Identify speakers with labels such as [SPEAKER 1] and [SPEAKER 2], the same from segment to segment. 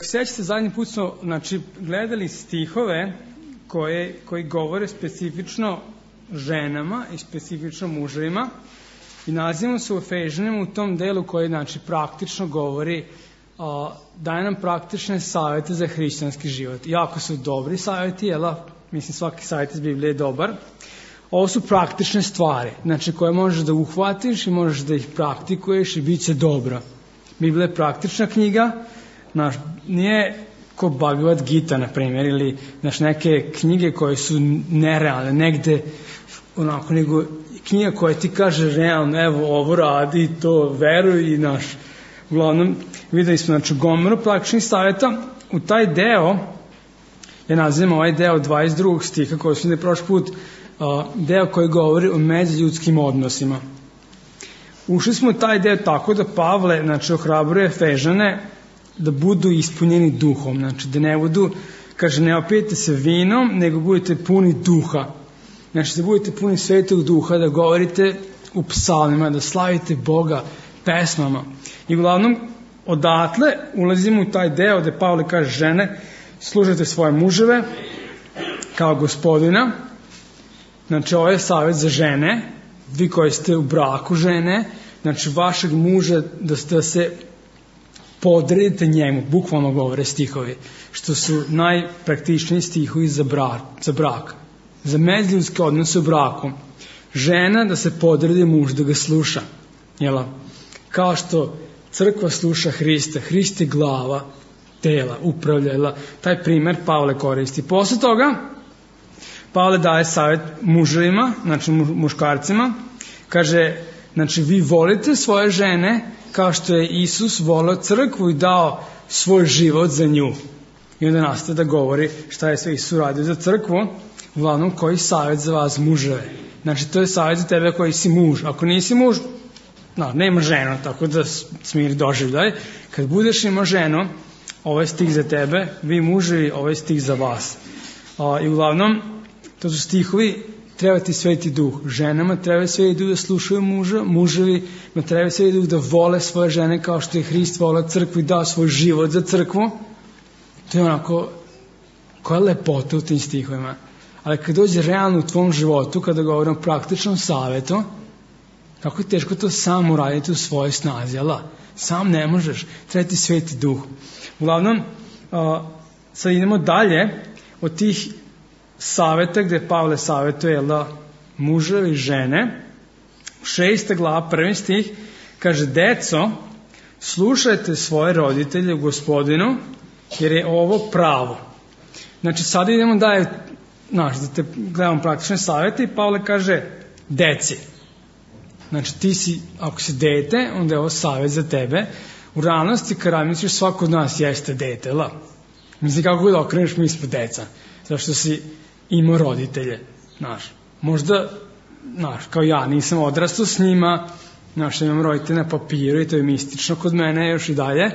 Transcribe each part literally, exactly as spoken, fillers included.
[SPEAKER 1] Sećate, zadnji put smo znači, gledali stihove koje, koji govore specifično ženama i specifično muževima i nalazimo se u Efežanima u tom delu koji znači, praktično govori, a, daje nam praktične savjete za hrišćanski život. Jako su dobri savjeti, jela? Mislim svaki savjet iz Biblije je dobar. Ovo su praktične stvari, znači koje možeš da uhvatiš i možeš da ih praktikuješ i bit će dobro. Biblija je praktična knjiga, naš, nije ko Bhagavad Gita, na primjer, ili naš, neke knjige koje su nerealne, negde onako, nego knjiga koja ti kaže realno, evo ovo radi, to veruj i naš. Uglavnom, videli smo znači, gomilu praktičnih savjeta. U taj deo, ja nazivam ovaj deo dvadeset drugog stiha, koji smo ne prošli put, uh, deo koji govori o međuljudskim odnosima. Ušli smo u taj deo tako da Pavle znači, ohrabruje Efežane da budu ispunjeni duhom, znači da ne budu, kaže, ne opijete se vinom, nego budete puni duha. Znači da budete puni svetog duha, da govorite u psalmima, da slavite Boga pesmama. I uglavnom, odatle ulazimo u taj deo gde Pavle kaže žene, služite svoje muževe kao gospodina. Znači ovo je savjet za žene, vi koji ste u braku žene, znači vašeg muža da, da se podredite njemu, bukvalno govore stihovi, što su najpraktičniji stihovi za brak, za brak, za međuljudske odnose u braku. Žena da se podredi muž, da ga sluša, jela? Kao što crkva sluša Hrista, Hrist je glava tela, upravljala, taj primer Pavle koristi. Posle toga Pavle daje savjet muževima, znači muškarcima, kaže, znači vi volite svoje žene kao što je Isus volio crkvu i dao svoj život za nju. I onda nastaje da govori šta je sve Isus uradio za crkvu, uglavnom koji savjet za vas muževe. Znači to je savjet za tebe koji si muž. Ako nisi muž, no, nema ženu, tako da smiri doživljaj. Kad budeš imao ženu, ovo je stih za tebe, vi muževi, ovo je stih za vas. A, I uglavnom, to su stihovi, treba ti sveti duh. Ženama treba sveti duh da slušaju muža, muževi treba sveti duh da vole svoje žene kao što je Hrist voleo crkvu i dao svoj život za crkvu. To je onako, koja je lepota u tim stihovima. Ali kad dođe realno u tvom životu, kada govorimo o praktičnom savjetu, kako je teško to sam uraditi u svojoj snazi, ala? Sam ne možeš, treba ti sveti duh. Uglavnom, uh, sad idemo dalje od tih savjeta gde Pavle savjetuje da muževi i žene. Šesta glava, prvi stih, kaže, deco, slušajte svoje roditelje u Gospodinu, jer je ovo pravo. Znači, sada idemo dalje, znaš, da te gledamo praktične savjete i Pavle kaže, deci. Znači, ti si, ako si dete, onda je ovo savjet za tebe. U realnosti, kada misliš, svako od nas jeste dete, la? Mislim, kako god okreneš, mi smo deca. Zašto si imao roditelje, znaš. Možda, znaš, kao ja, nisam odrastao s njima, znaš, imam roditelje na papiru i to je mistično kod mene još i dalje,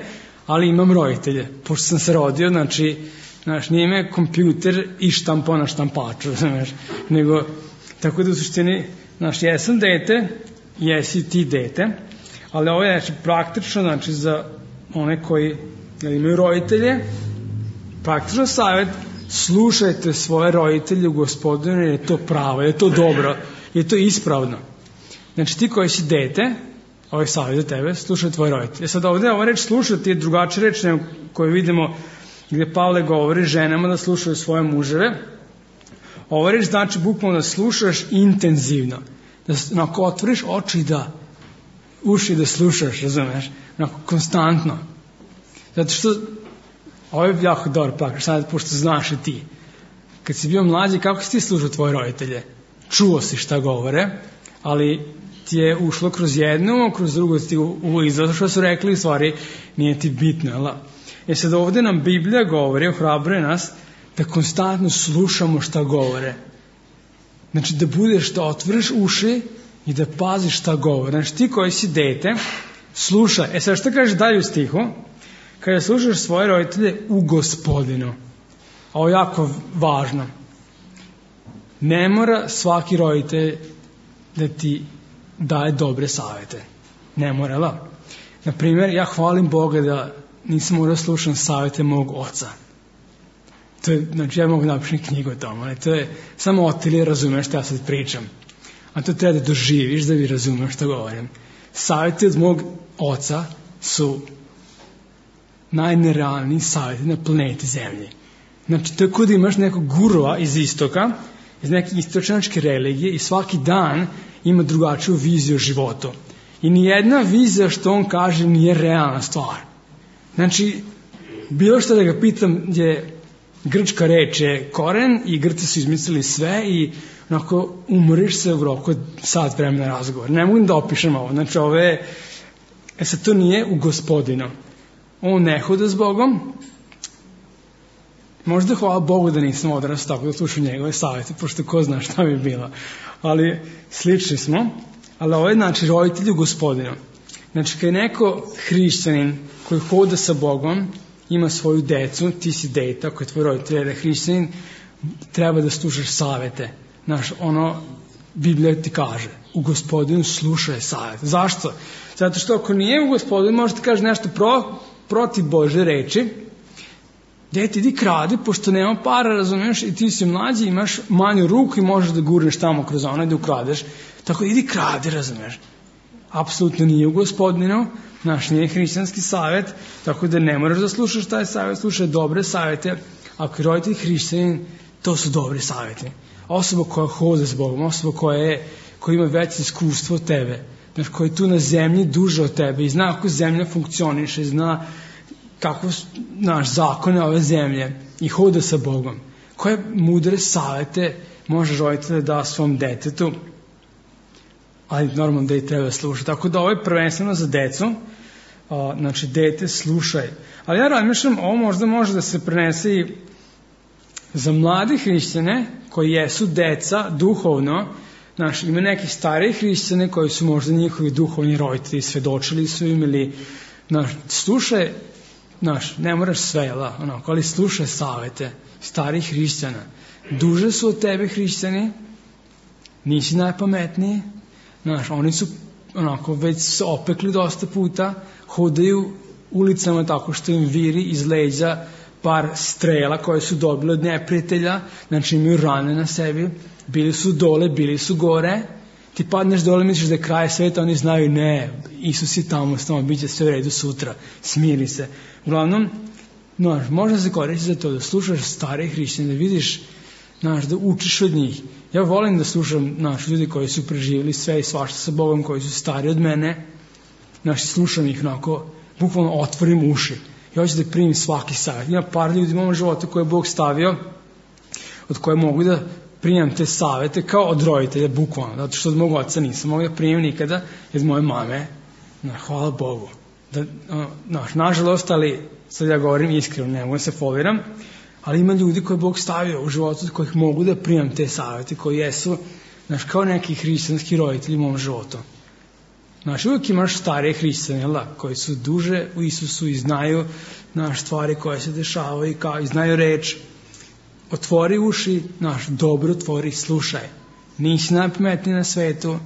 [SPEAKER 1] ali imam roditelje. Pošto sam se rodio, znači, znaš, nije me kompjuter i štampo na štampaču, znaš, nego, tako da u suštini, znaš, jesam dete, jesi ti dete, ali ovo je znači, praktično, znači, za one koji jel, imaju roditelje, praktično savjet, slušajte svoje roditelje u Gospodinu, jer je to pravo, jer je to dobro, jer je to ispravno. Znači ti koji si dete, ovaj savjet za tebe, slušaj tvoje roditelje. Sad ovdje ova reč slušati je drugačija reč nego koju vidimo gdje Pavle govori ženama da slušaju svoje muževe. Ova reč znači bukvalno da slušaš intenzivno, da onako otvoriš oči da uši da slušaš, razumeš, onako konstantno. Zato što ovo je jako dobro praktično, sad pošto znaš i ti. Kad si bio mlađi, kako si ti slušao tvoje roditelje? Čuo si šta govore, ali ti je ušlo kroz jednu, kroz drugu ti uvijek zato što su rekli, stvari nije ti bitno, jel? E sad ovdje nam Biblija govori, ohrabruje nas da konstantno slušamo šta govore. Znači da budeš, da otvoriš uši i da paziš šta govore. Znači ti koji si dete, slušaj. E sad šta kaže dalje u stihu? Kada slušaš svoje roditelje u Gospodinu. Ovo je jako važno. Ne mora svaki roditelj da ti daje dobre savjete. Ne mora, la? Naprimjer, ja hvalim Boga da nisam morao slušam savjete mog oca. To je, znači ja mogu napišem knjigu o tomu, ali to je samo Otilije razumeš što ja sad pričam. A to treba da doživiš da bi razumeš što govorim. Savjeti od mog oca su najnerealniji savjeti na planeti Zemlji. Znači, tako da imaš nekog gurua iz istoka, iz neke istočnačke religije i svaki dan ima drugačiju viziju o životu. I nijedna vizija što on kaže nije realna stvar. Znači, bilo što da ga pitam je grčka reč je koren i Grci su izmislili sve i onako umoriš se u roku sat vremena razgovor. Ne mogu da opišem ovo. Znači, ovo je, e sad to nije u Gospodinu. On ne hoda s Bogom. Možda hvala Bogu da nisam odrastao tako da slušam njegove savjete, pošto ko zna šta bi bilo. Ali slični smo. Ali ovo je znači roditelj u Gospodinu. Znači kad je neko hrišćanin koji hoda sa Bogom, ima svoju decu, ti si dete, ako je tvoj roditelj je hrišćanin, treba da slušaš savjete. Znaš, ono, Biblija ti kaže, u Gospodinu slušaj savjete. Zašto? Zato što ako nije u Gospodinu, možeš ti kaže nešto pro, protiv Bože reči, dete, idi kradi, pošto nema para, razumiješ, i ti si mlađi, imaš manju ruku i možeš da gurneš tamo kroz ono i da ukradeš. Tako idi kradi, razumiješ. Apsolutno nije u Gospodinu, naš nije hrišćanski savjet, tako da ne moraš da slušaš taj savjet, slušaj dobre savjete. Ako je roditelj hrišćanin, to su dobri savjeti. Osoba koja hoda s Bogom, osoba koja, je, koja ima veće iskustvo od tebe, znači koja je tu na zemlji duže od tebe i zna kako zemlja funkcioniše, zna kako naš zakone ove zemlje i hoda sa Bogom. Koje mudre savjete može roditelj da da svom detetu, ali normalno da i treba slušati. Tako da ovo je prvenstveno za decu, a, znači dete slušaj. Ali ja razmišljam, ovo možda može da se prenese i za mlade hrišćane koji jesu deca duhovno. Znaš, ima neki stariji hrišćane koji su možda njihovi duhovni roditelji, svedočili su im ili, znaš, slušaj, znaš, ne moraš sve, jel, onako, ali slušaj savjete starih hrišćana. Duže su od tebe hrišćani, nisi najpametniji, znaš, oni su onako već se opekli dosta puta, hodaju ulicama tako što im viri iz leđa par strela koje su dobili od neprijatelja, znači imaju rane na sebi, bili su dole, bili su gore, ti padneš dole, misliš da je kraj sveta, oni znaju ne, Isus je tamo s tamo, bit će sve u redu sutra, smiri se. Uglavnom, znaš, možda se koristi za to da slušaš stare hrišćane, da vidiš, znaš, da učiš od njih. Ja volim da slušam, znaš, ljudi koji su preživjeli sve i svašta sa Bogom, koji su stari od mene, znaš, slušam ih onako, bukvalno otvorim uši. Ja hoću da primim svaki savjet. Ima par ljudi u mom životu koje je Bog stavio, od koje mogu da primam te savjete kao od roditelja, bukvalno, zato što od mog oca nisam mogu da primim nikada, od moje mame, na, hvala Bogu. Da, naš, nažalost, ali sad ja govorim iskreno, ne mogu da se foliram, ali ima ljudi koje Bog stavio u životu od kojih mogu da primam te savjete, koji jesu, znaš, kao neki hrišćanski roditelji u mom životu. Znaš, uvijek imaš starije hrišćane, jel da, koji su duže u Isusu i znaju, znaš, stvari koje se dešavaju i, kao, i znaju reč. Otvori uši, znaš, dobro otvori, slušaj. Nisi najpametniji na svetu,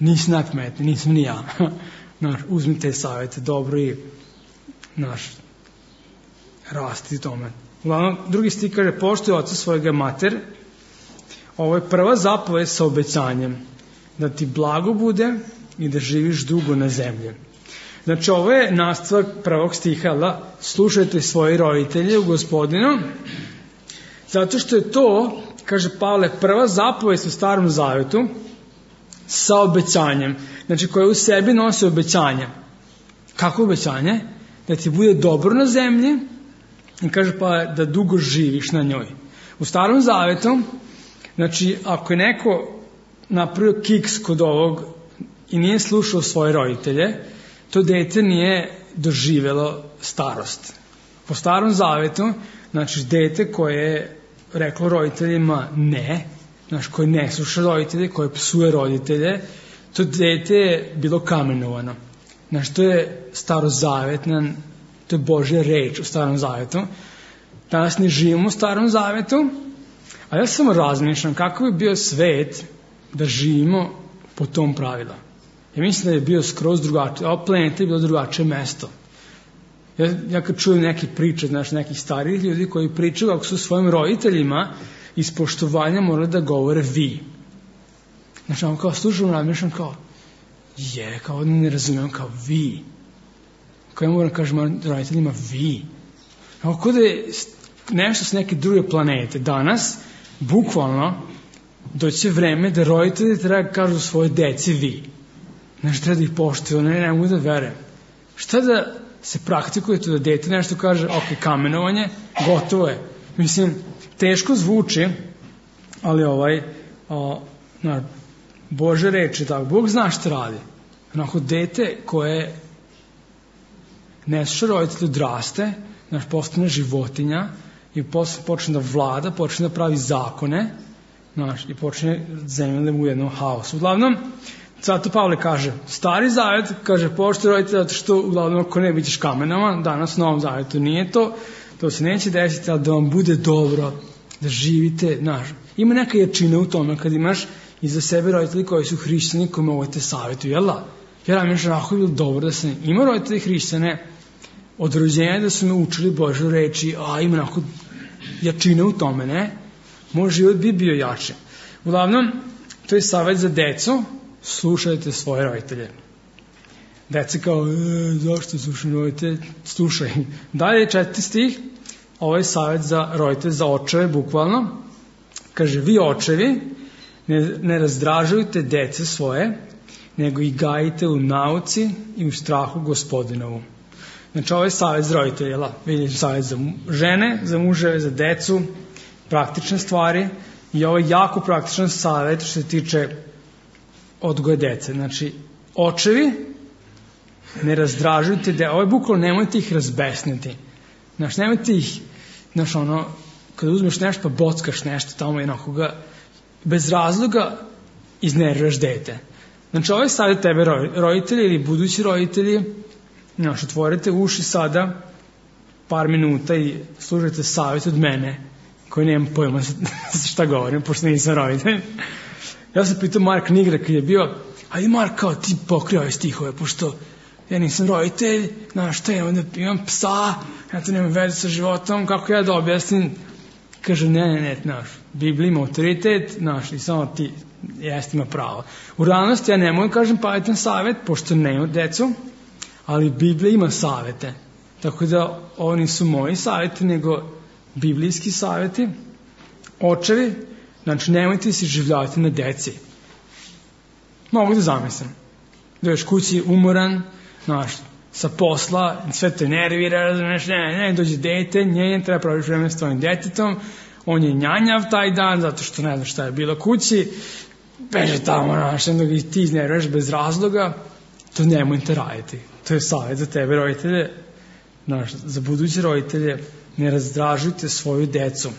[SPEAKER 1] nisi najpametniji, nisam ni ja. Znaš, uzmi te savjete dobro i, znaš, rasti tome. Uglavnom, drugi stih kaže, poštuj oca svojega mater. Ovo je prva zapovest sa obećanjem, da ti blago bude i da živiš dugo na zemlji. Znači, ovo je nastavak prvog stiha, da slušajte svoje roditelje u Gospodinu, zato što je to, kaže Pavle, prva zapovest u Starom Zavjetu sa obećanjem, znači koja u sebi nosi obećanje. Kako obećanje? Da ti bude dobro na zemlji i kaže pa da dugo živiš na njoj. U Starom Zavjetu, znači ako je neko napravio kiks kod ovog i nije slušao svoje roditelje, to dete nije doživjelo starost. Po Starom Zavjetu, znači dete koje je reklo roditeljima ne, znači koje ne sluša roditelje, koje psuje roditelje, to dete je bilo kamenovano. Znači to je starozavjetna, to je Božja reč u Starom Zavjetu. Danas ne živimo u Starom Zavjetu, a ja samo razmišljam kako bi bio svet da živimo po tom pravilu. Ja mislim da je bio skroz drugačije, ova planeta je bilo drugačije mesto. Ja, ja kad čujem neke priče, znaš, nekih starijih ljudi koji pričaju kako su svojim roditeljima iz poštovanja morali da govore vi. Znači, ono kao slušam, razmišljam kao, je, kao ne razumijem, kao vi. Kao ja moram kažem roditeljima vi. Ako da je nešto s neke druge planete, danas, bukvalno, doće vreme da roditelji treba da kažu svoje deci vi. Znači, treba da ih poštuju, ne, ne mogu da verujem. Šta da se praktikuje to da dete nešto kaže, ok, kamenovanje, gotovo je. Mislim, teško zvuči, ali ovaj, o, na, Bože reči, tako, Bog zna šta radi. Onako, dete koje ne sluša roditelju odraste, znaš, postane životinja i posle počne da vlada, počne da pravi zakone, znaš, i počne zemlja u jednom haosu. Uglavnom, zato Pavle kaže, stari zavet, kaže, poštuj roditelja, zato što, uglavnom, ako ne bićeš kamenama, danas u Novom zavetu nije to, to se neće desiti, ali da vam bude dobro, da živite, znaš, ima neka jačina u tome kad imaš iza sebe roditelji koji su hrišćani, koji mogu te savjetuju, jel da? Jer ja mi je onako bilo dobro da sam ima roditelji hrišćane od rođenja da su me učili Božju reči, a ima onako jačine u tome, ne? Moj život bi bio jači. Uglavnom, to je savjet za decu, slušajte svoje roditelje. Deca kao, e, zašto slušam roditelje? Slušaj. Dalje, četvrti stih, ovo je savjet za roditelje, za očeve, bukvalno. Kaže, vi očevi, ne, ne razdražujte dece svoje, nego ih gajite u nauci i u strahu Gospodinovu. Znači, ovo je savjet za roditelje, jel? Vidiš, savjet za žene, za muževe, za decu, praktične stvari, i ovo je jako praktičan savjet što se tiče odgoja dece. Znači, očevi, ne razdražujte dece, ovo je bukvalno, nemojte ih razbesniti. Znači, nemojte ih, znaš, ono, kada uzmeš nešto pa bockaš nešto tamo jednako ga, bez razloga iznerviraš dete. Znači, ovo je savjet tebe, roditelji ili budući roditelji, znaš, otvorite uši sada par minuta i slušajte savjet od mene, koji nemam pojma šta govorim, pošto nisam roditelj. Ja sam pitao Mark Nigra kad je bio, ajde Mark, kao ti pokrio ove stihove, pošto ja nisam roditelj, znaš, šta imam, imam psa, ja to nemam veze sa životom, kako ja da objasnim? Kaže, ne, ne, ne, znaš, Biblija ima autoritet, znaš, i samo ti jeste ima pravo. U realnosti ja ne mogu kažem pametan savjet, pošto nemam decu, ali Biblija ima savjete. Tako da ovo nisu moji savjeti, nego biblijski savjeti. Očevi, znači nemojte se življavati na deci. Mogu da zamislim. Dođeš kući umoran, znaš, sa posla, sve te nervira, razumeš, ne, ne, dođe dete, nje, treba praviš vreme s tvojim detetom, on je njanjav taj dan, zato što ne zna šta je bilo kući, beže tamo, znaš, jednog i ti iznerviraš bez razloga, to nemojte raditi. To je savjet za tebe, roditelje, znaš, za buduće roditelje, ne razdražujte svoju decu,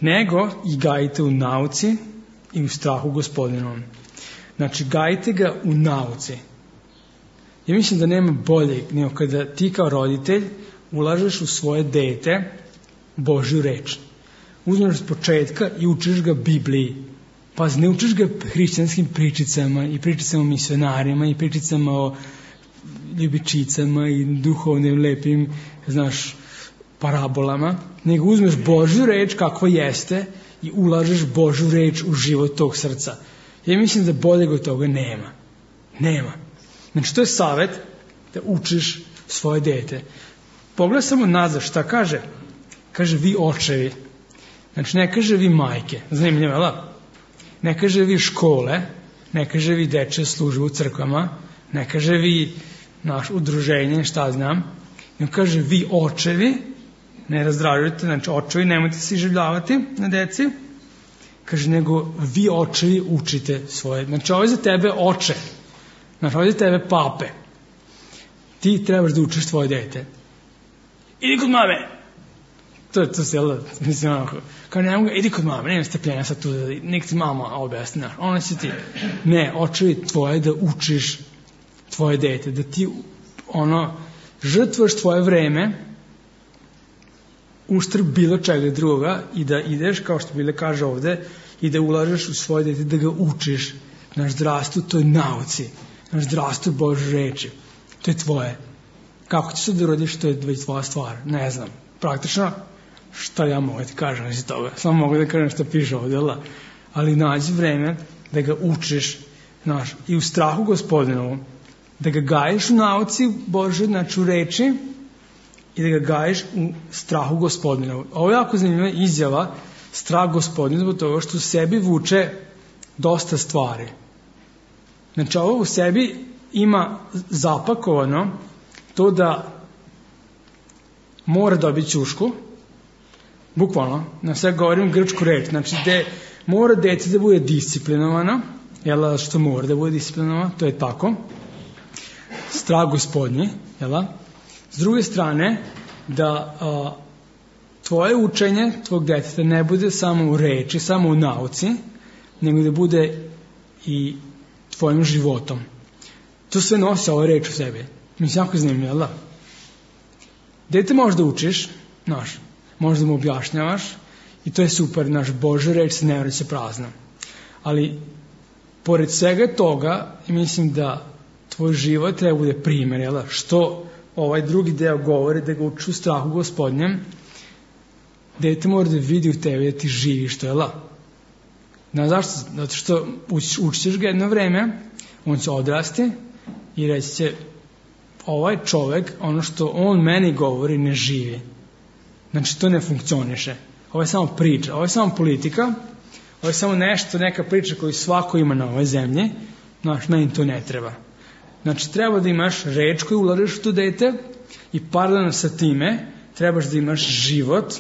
[SPEAKER 1] nego i gajite u nauci i u strahu Gospodinovom. Znači, gajite ga u nauci. Ja mislim da nema bolje nego kada ti kao roditelj ulažeš u svoje dete Božju reč. Uzmeš s početka i učiš ga Bibliji. Pa ne učiš ga hrišćanskim pričicama i pričicama o misionarima i pričicama o ljubičicama i duhovnim lepim, znaš, parabolama, nego uzmeš Božju reč kakva jeste i ulažeš Božju reč u život tog srca. Ja mislim da boljeg od toga nema. Nema. Znači, to je savjet da učiš svoje dete. Pogledaj samo nazad, šta kaže? Kaže, vi očevi. Znači, ne kaže vi majke. Zanimljivo, jel? Ne kaže vi škole, ne kaže vi dečje službe u crkvama, ne kaže vi naš udruženje, šta znam, nego kaže vi očevi, ne razdražujte, znači očevi, nemojte se življavati na deci, kaže, nego vi očevi učite svoje. Znači, ovo je za tebe oče, znači, ovo je za tebe pape. Ti trebaš da učiš tvoje dete. Idi kod mame! To je to se, jel da, mislim, onako, kao ne mogu, idi kod mame, nema strpljenja sad tu, nek ti mama objasni, znaš, ona će ti, ne, očevi tvoje da učiš tvoje dete, da ti, ono, žrtvaš tvoje vreme, uštrb bilo čega druga i da ideš, kao što Bile kaže ovde, i da ulažeš u svoje dete, da ga učiš, naš zdravstvo, to je nauci, naš zdravstvo Božje reči, to je tvoje. Kako će se da urodiš, to je već tvoja stvar. Ne znam. Praktično, šta ja mogu da ti kažem iz toga? Samo mogu da kažem šta piše ovdje, ali nađi vreme da ga učiš, znaš, i u strahu Gospodinovu, da ga gajiš u nauci Božoj, znači u reči, i da ga gajiš u strahu Gospodinovu. Ovo je jako zanimljiva izjava, strah Gospodin, zbog toga što u sebi vuče dosta stvari. Znači, ovo u sebi ima zapakovano to da mora dobiti ćušku, bukvalno, na sve govorim grčku reč, znači gde mora dete da bude disciplinovano, jel, što mora da bude disciplinovano, to je tako, strah Gospodnji, jel, s druge strane, da a, tvoje učenje tvog deteta ne bude samo u reči, samo u nauci, nego da bude i tvojim životom. To sve nosi ova reč u sebi. Mislim, jako zanimljivo, jel da? Dete možda učiš, znaš, možda mu objašnjavaš i to je super, naš Božja reč se ne vraća prazna. Ali, pored svega toga, mislim da tvoj život treba bude primjer, jel da? Što ovaj drugi deo govori, da ga uči u strahu Gospodnjem, dete mora da vidi u tebi da ti živiš, to je la. Znaš zašto? Zato što uč, učiš ga jedno vreme, on će odrasti i reći će, ovaj čovek, ono što on meni govori, ne živi. Znači, to ne funkcioniše. Ovo je samo priča, ovo je samo politika, ovo je samo nešto, neka priča koju svako ima na ovoj zemlji, znaš, meni to ne treba. Znači, treba da imaš reč koju ulažeš u to dete i paralelno sa time trebaš da imaš život.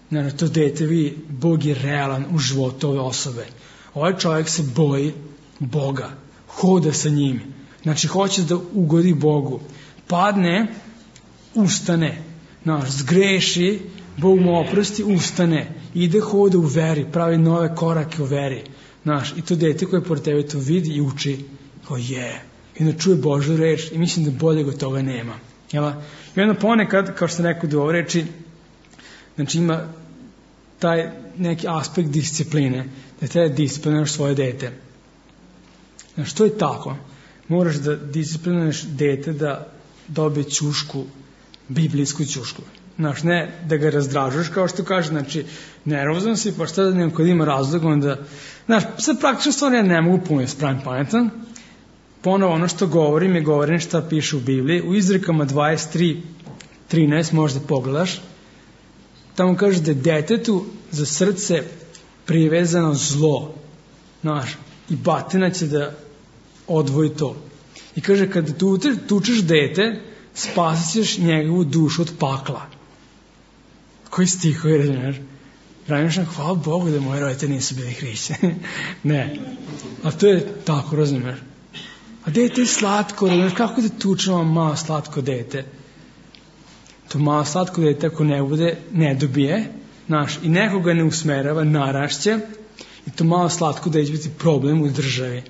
[SPEAKER 1] Znači, to dete vidi, Bog je realan u životu ove osobe. Ovaj čovjek se boji Boga, hoda sa njim. Znači, hoće da ugodi Bogu. Padne, ustane. Znaš, zgreši, Bog mu oprosti, ustane. Ide, hoda u veri, pravi nove korake u veri. Znaš, i to dete koje pored tebe to vidi i uči, kao je. I onda čuje Božju reč i mislim da boljeg od toga nema. Jel? I onda ponekad, kao što sam rekao do ove reči, znači ima taj neki aspekt discipline, da treba disciplinuješ svoje dete. Znači, to je tako. Moraš da disciplinuješ dete da dobije ćušku, biblijsku ćušku. Znaš, ne da ga razdražuješ, kao što kaže, znači, nervozan si, pa šta da nema kod ima razlog, onda, znaš, sad praktično stvarno ja ne mogu puno spravim pametan. Ponovo ono što govorim je govorim šta piše u Bibliji. U Izrekama dvadeset tri trinaest možda pogledaš. Tamo kaže da je detetu za srce privezano zlo. Znaš, i batina će da odvoji to. I kaže, kada tu, tučeš dete, spasit ćeš njegovu dušu od pakla. Koji stih je, razumiješ? Razmišljam, hvala Bogu da moji roditelji nisu bili hrišćani. Ne. A to je tako, razumiješ? A dete je slatko, razumiješ? Kako da tučemo malo slatko dete? To malo slatko dete, ako ne bude, ne dobije, znaš, i nekoga ne usmerava, narašće, i to malo slatko dete će biti problem u državi.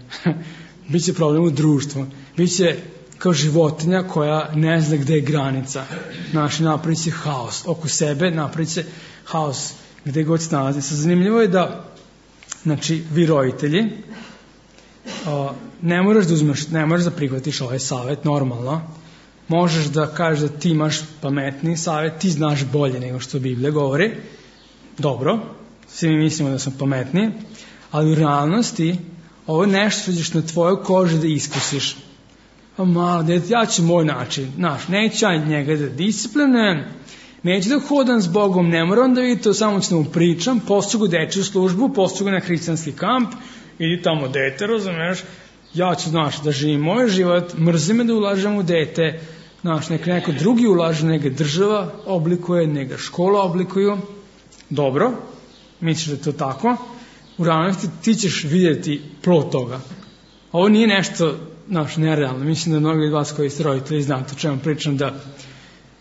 [SPEAKER 1] Biće problem u društvu. Biće kao životinja koja ne zna gde je granica. Znaš, napravit će haos. Oko sebe napravit će haos gde god se nalazi. Sad zanimljivo je da, znači, vi roditelji, o, ne moraš da uzmeš, ne moraš da prihvatiš ovaj savjet, normalno. Možeš da kažeš da ti imaš pametniji savjet, ti znaš bolje nego što Biblija govori. Dobro, svi mi mislimo da smo pametniji, ali u realnosti ovo je nešto što ćeš na tvojoj koži da iskusiš. Pa malo, dete, ja ću moj način, znaš, neću ja njega da disciplinujem, neću da hodam s Bogom, ne moram da vidim to, samo ću da mu pričam, pošću ga dečju službu, pošću ga na hrišćanski kamp, idi tamo dete, razumeš, ja ću, znaš, da živim moj život, mrzi me da ulažem u dete, znaš, neka neko drugi ulaže, neka država oblikuje, neka škola oblikuju, dobro, misliš da je to tako, u realnosti ti ćeš vidjeti plod toga. Ovo nije nešto, znaš, nerealno, mislim da mnogi od vas koji ste roditelji znate o čemu pričam, da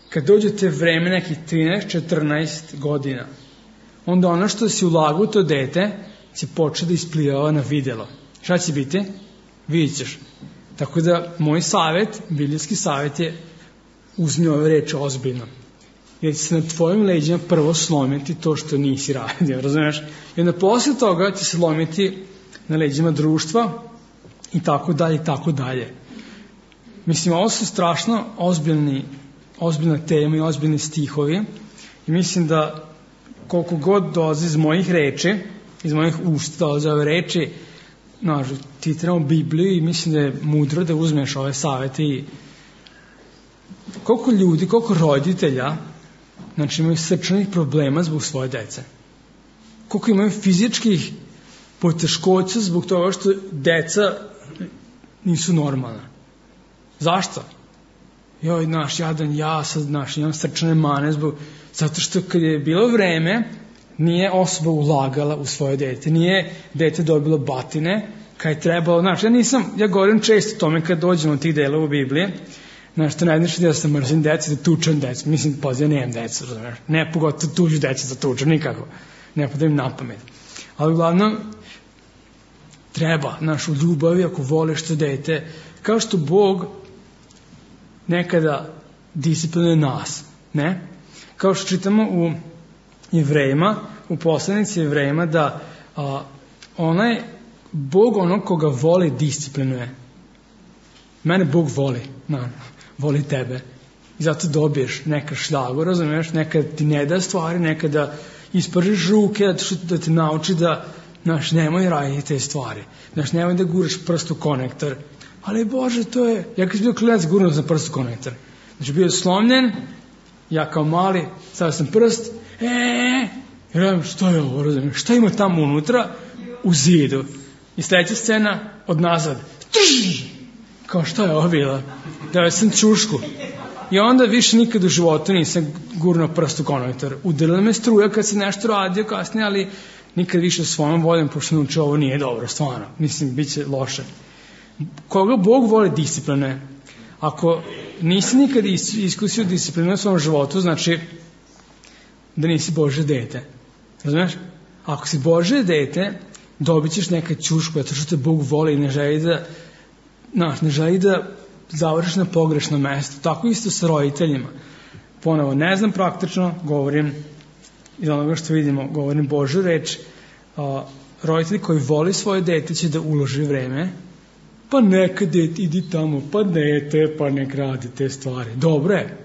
[SPEAKER 1] kad dođete vreme nekih trinaest četrnaest godina, onda ono što si ulagao u to dete će početi da isplivava na videlo. Šta će biti? Vidjet ćeš. Tako da moj savjet, biblijski savjet je uzmi ove reči ozbiljno. Jer će se na tvojim leđima prvo slomiti to što nisi radio, razumiješ? I onda posle toga će se lomiti na leđima društva i tako dalje i tako dalje. mislim, ovo su strašno ozbiljni, ozbiljna tema i ozbiljni stihovi i mislim da koliko god dolazi iz mojih reči, iz mojih usta dolaze ove reči, znaš, ti trebamo Bibliju i mislim da je mudro da uzmeš ove savete i koliko ljudi, koliko roditelja, znači imaju srčanih problema zbog svoje dece. Koliko imaju fizičkih poteškoća zbog toga što deca nisu normalna. Zašto? Joj, naš jadan ja, sad naš, imam srčane mane zbog, zato što kad je bilo vreme, nije osoba ulagala u svoje dete, nije dete dobilo batine, kad je trebalo, znaš, ja nisam, ja govorim često o tome kad dođemo od tih delova u Biblije, znaš, to najviše da sam mrzim deca, da tučem deca, mislim, poziv, nemam deca, razumiješ, ne pogotovo tuđu deca da tučem, nikako, ne podajem na pamet. Ali uglavnom, treba, znaš, u ljubavi, ako voliš to dete, kao što Bog nekada disciplinuje nas, ne? Kao što čitamo u Jevrejima, u poslanici Jevrejima, da a, onaj Bog onog koga voli disciplinuje. Mene Bog voli, na, voli tebe. I zato dobiješ neka šljagu, razumiješ, nekada ti ne da stvari, nekada ispržiš ruke, da te nauči da, znaš, nemoj raditi te stvari. Znaš, nemoj da guraš prst u konektor. Ali Bože, to je, ja kad sam bio klinac, gurnuo sam prst u konektor. Znači, bio je slomljen, ja kao mali, stavio sam prst, eee, i radim, što je ovo, razumiješ, šta ima tamo unutra? U zidu. I sledeća scena, od nazad, trž, kao šta je ovo bila? Dao sam čušku. I onda više nikad u životu nisam gurnuo prst u konektor. Udarila me struja kad se nešto radio kasnije, ali nikad više svojom voljom, pošto naučio ovo nije dobro, stvarno. Mislim, bit će loše. Koga Bog voli discipline? Ako nisi nikad iskusio disciplinu u svom životu, znači da nisi Božje dete. Razumiješ? Ako si Božje dete, dobit ćeš neka ćušku, zato što te Bog voli i ne želi da, znaš, ne želi da završiš na pogrešno mesto. Tako isto sa roditeljima. Ponovo, ne znam praktično, govorim iz onoga što vidimo, govorim Božju reč, a, roditelji koji voli svoje dete će da uloži vreme, pa neka dete, idi tamo, pa dete, pa nek radi te stvari. Dobro je.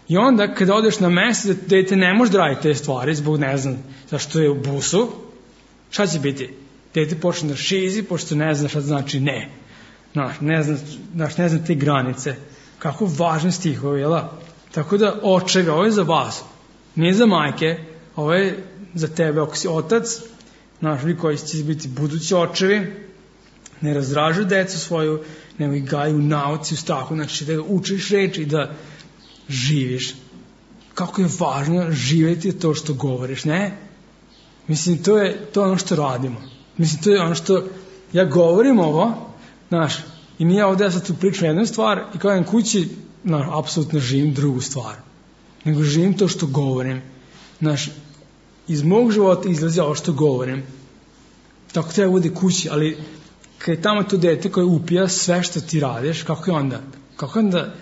[SPEAKER 1] I onda, kada odeš na mesto da dete ne može da radi te stvari, zbog ne znam zašto je u busu, šta će biti? Dete počne da šizi, pošto ne zna šta znači ne. Znaš, ne zna, znaš, ne zna te granice. Kako važni stihovi, jel da? Tako da, očevi, ovo je za vas. Nije za majke, ovo je za tebe, ako si otac, znaš, vi koji će biti budući očevi, ne razražuju decu svoju, nego ih gaju u nauci, u strahu, znači da učiš reči i da živiš. Kako je važno živjeti to što govoriš, ne? Mislim, to je, to je ono što radimo. Mislim, to je ono što, ja govorim ovo, znaš, i nije ovdje ja sad tu pričam jednu stvar i kao jedan kući, znaš, apsolutno živim drugu stvar. Nego živim to što govorim. Znaš, iz mog života izlazi ovo što govorim. Tako treba bude kući, ali kad je tamo to dete koje upija sve što ti radiš, kako je onda? Kako je onda,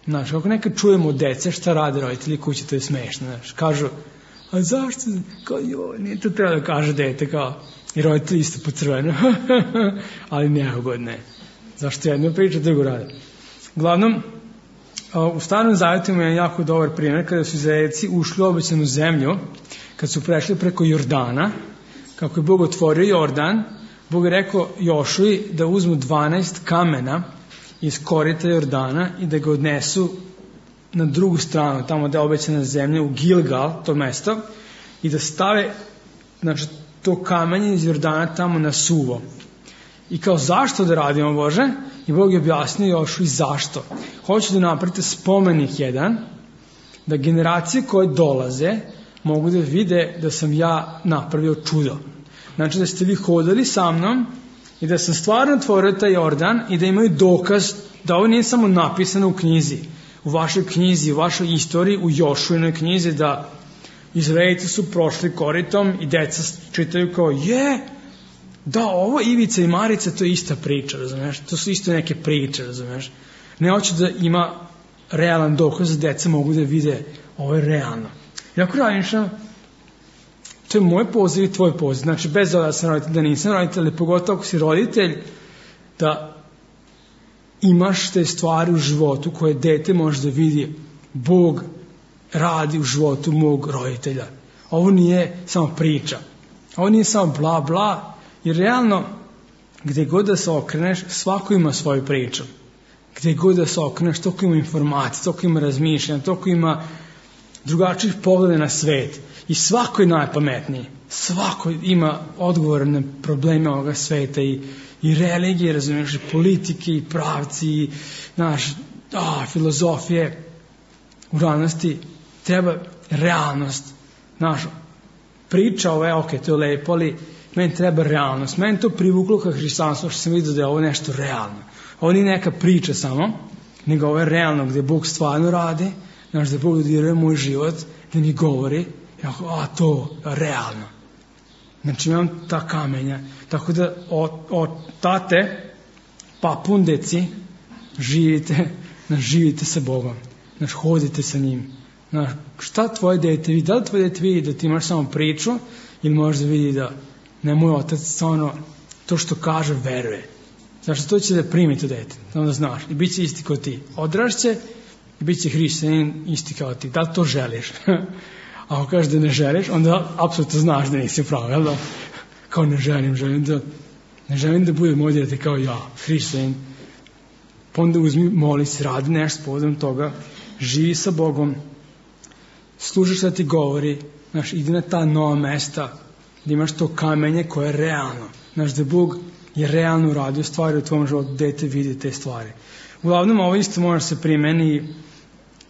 [SPEAKER 1] znaš, kako nekad čujemo od dece šta rade roditelji kući, to je smešno, znaš, kažu, a zašto, kao joj, nije to treba da kaže dete, kao, i roditelji isto po crvenu, ali neugodne. Zašto jedno priča, drugo rade. Uglavnom, u Starom Zavjetu je jako dobar primjer kada su Izraelci ušli u obećanu zemlju, kad su prešli preko Jordana, kako je Bog otvorio Jordan, Bog je rekao Jošuji da uzmu dvanaest kamena iz korita Jordana i da ga odnesu na drugu stranu, tamo da je obećana zemlja, u Gilgal, to mesto, i da stave, znači, to kamenje iz Jordana tamo na suvo. I kao, zašto da radimo, Bože? I Bog je objasnio Jošuji zašto. Hoću da napravite spomenik jedan, da generacije koje dolaze mogu da vide da sam ja napravio čudo. Znači da ste vi hodali sa mnom i da sam stvarno otvorio taj Jordan i da imaju dokaz da ovo nije samo napisano u knjizi, u vašoj knjizi, u vašoj istoriji, u Jošuinoj knjizi, da Izraelci su prošli koritom i deca čitaju kao, je, da, ovo Ivica i Marica, to je ista priča, razumiješ, to su isto neke priče, razumiješ. Ne hoće da ima realan dokaz da deca mogu da vide ovo je realno. I ako razmišljam, to je moj poziv i tvoj poziv. Znači, bez da sam roditelj, da nisam roditelj, ali pogotovo ako si roditelj, da imaš te stvari u životu koje dete može da vidi Bog radi u životu mog roditelja. Ovo nije samo priča. Ovo nije samo bla bla, jer realno gde god da se okreneš, svako ima svoju priču. Gde god da se okreneš, toliko ima informacija, toliko ima razmišljanja, toliko ima drugačijih pogleda na svet. I svako je najpametniji. Svako ima odgovor na probleme ovoga sveta i, i religije, razumiješ, i politike, i pravci, i naš, a, filozofije. U realnosti treba realnost. Naš, priča ovo je, ok, to je lepo, ali meni treba realnost. Meni to privuklo ka hrišćanstvu, što sam vidio da je ovo nešto realno. Ovo nije neka priča samo, nego ovo je realno, gde Bog stvarno radi, znaš, da Bog dodiruje moj život, da mi govori, a to je realno. Znači imam ta kamenja. Tako da od, od tate, papundeci, živite, znaš, živite sa Bogom. Znaš, hodite sa njim. Znaš, šta tvoje dete vidi? Da li tvoje dete vidi da ti imaš samo priču ili možda vidi da ne, moj otac stvarno to što kaže veruje. Znaš, to će da primi to dete, da znaš. I bit će isti kao ti. Odrašće i bit će hrišćanin isti kao ti. Da li to želiš? A ako kažeš da ne želiš, onda apsolutno znaš da nisi pravo, jel da? Kao ne želim, želim da ne želim da bude moj dete kao ja, hrišćanin. Pa onda uzmi, moli se, radi nešto povodom toga, živi sa Bogom, slušaš da ti govori, znaš, idi na ta nova mesta, da imaš to kamenje koje je realno. Znaš, da Bog je realno uradio stvari u tvom životu, dete vidi te stvari. Uglavnom, ovo isto može se primeni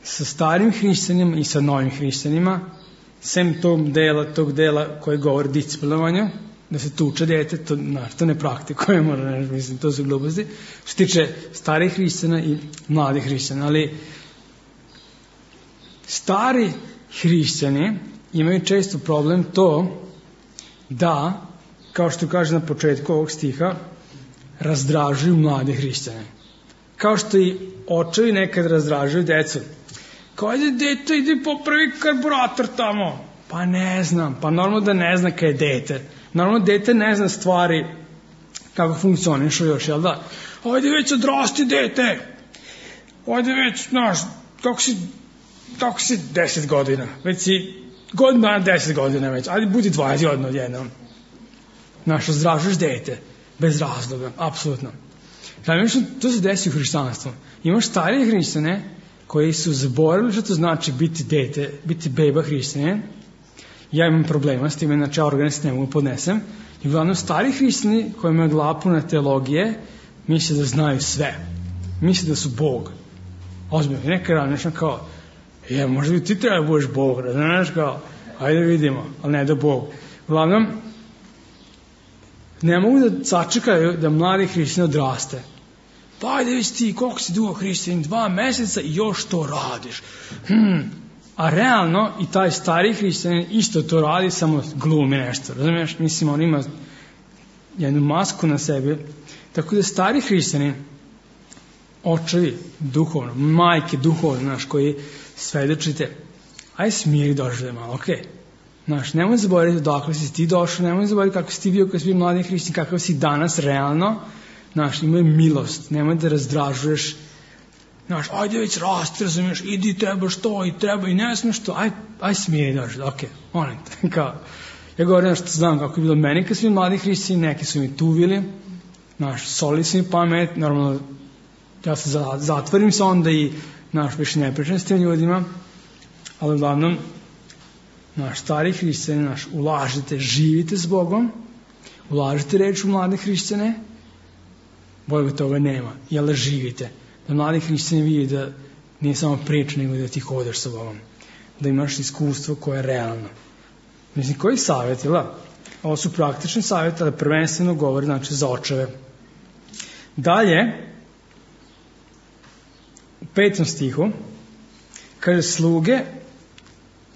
[SPEAKER 1] sa starim hrišćanima i sa novim hrišćanima, sem tog dela, tog dela koji govori o disciplinovanju, da se tuče dete, to, znaš, to ne praktikuje, možda ne mislim, to su gluposti, što tiče starih hrišćana i mladih hrišćana, ali stari hrišćani imaju često problem to da, kao što kaže na početku ovog stiha, razdražuju mlade hrišćane. Kao što i očevi nekad razdražuju decu. Kao, ajde, dete, ide popravi karburator tamo. Pa ne znam, pa normalno da ne zna kaj je dete. Normalno dete ne zna stvari kako funkcionišu još, jel da? Ajde već odrasti, dete. Ajde već, znaš, kako si, kako si deset godina. Već si godina dana deset godina već. Ajde, budi dvadeset godina odjednom. Znaš, razdražuješ dete. Bez razloga, apsolutno. Znači, to se desi u hrišćanstvu. Imaš starije hrišćane koji su zaboravili što to znači biti dete, biti beba hrišćane. Ja imam problema s time, znači ja organist ne mogu podnesem. I uglavnom stari hrišćani koji imaju glavu puna teologije misle da znaju sve. Misle da su Bog. Ozbiljno, neka razmišljam kao, je, možda bi ti treba budeš Bog, znaš, kao, ajde vidimo, ali ne da Bog. Uglavnom, ne mogu da sačekaju da mladi hrišćani odraste. Pa ajde već ti, koliko si dugo hrišćanin, dva meseca i još to radiš. Hmm. A realno i taj stari hrišćanin isto to radi, samo glumi nešto. Razumiješ? Mislim, on ima jednu masku na sebi. Tako da stari hrišćani, očevi duhovno, majke duhovno, znaš, koji svedočite, aj smiri došli da malo, okej. Okay. Znaš, nemoj zaboraviti odakle si ti došao, nemoj zaboraviti kako si ti bio kad si bio mladi hrišćanin, kakav si danas realno. Znaš, imaj milost, nemoj da razdražuješ. Znaš, ajde već rasti, razumiješ, idi, trebaš to i treba i ne smiješ to, aj, aj smiri došli, okej, okay, molim te, kao. Ja govorim što znam kako je bilo meni kad su mi mladi hrišćani, neki su mi tuvili, znaš, soli su mi pamet, normalno, ja se zatvorim se onda i, znaš, više ne pričam s tim ljudima, ali uglavnom, naš stari hrišćani, naš, ulažite, živite s Bogom, ulažite reč u mlade hrišćane, bolje toga nema, jel da živite, da mladi hrišćani vidi da nije samo priča, nego da ti hodeš sa Bogom, da imaš iskustvo koje je realno. Mislim, koji savjet, jel da? Ovo su praktični savjeti, ali prvenstveno govori, znači, za očeve. Dalje, u petom stihu, kaže, sluge,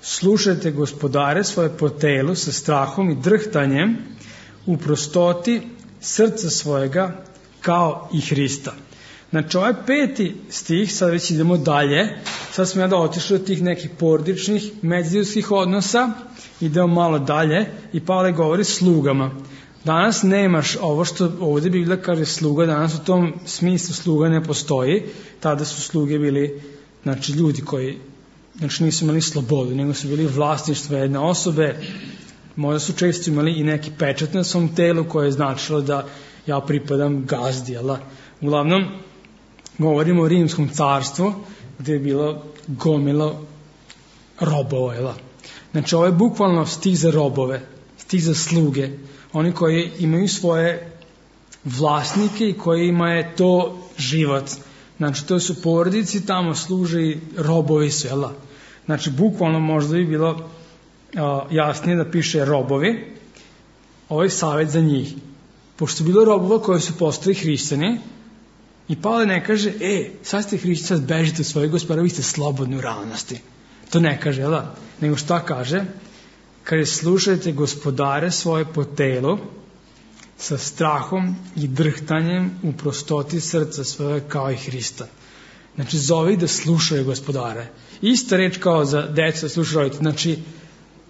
[SPEAKER 1] slušajte gospodare svoje po telu sa strahom i drhtanjem u prostoti srca svojega kao i Hrista. Znači, ovaj peti stih, sad već idemo dalje, sad smo ja da otišli od tih nekih porodičnih, međuljudskih odnosa, idemo malo dalje i Pavle govori slugama. Danas nemaš ovo što ovdje Biblija kaže sluga, danas u tom smislu sluga ne postoji, tada su sluge bili, znači, ljudi koji, znači, nisu imali slobodu, nego su bili vlasništvo jedne osobe, možda su često imali i neki pečat na svom telu koje je značilo da ja pripadam gazdi, jel? Uglavnom, govorimo o Rimskom carstvu, gdje je bilo gomilo robova, jel? Znači, ovo je bukvalno stih za robove, stih za sluge, oni koji imaju svoje vlasnike i kojima je to život. Znači, to su porodici, tamo služe i robovi su, jel? Znači, bukvalno možda bi bilo uh, jasnije da piše robovi, ovaj savjet za njih. Pošto je bilo robova koji su postali hrišćani, i Pavle ne kaže, e, sad ste hrišćani, sad bežite u svoje gospodara, vi ste slobodni u realnosti. To ne kaže, jel? Nego šta kaže? Kaže, slušajte gospodare svoje po telu, sa strahom i drhtanjem u prostoti srca svoje kao i Hrista. Znači, zove ih da slušaju gospodare. Ista reč kao za decu da slušaju roditelje. Znači,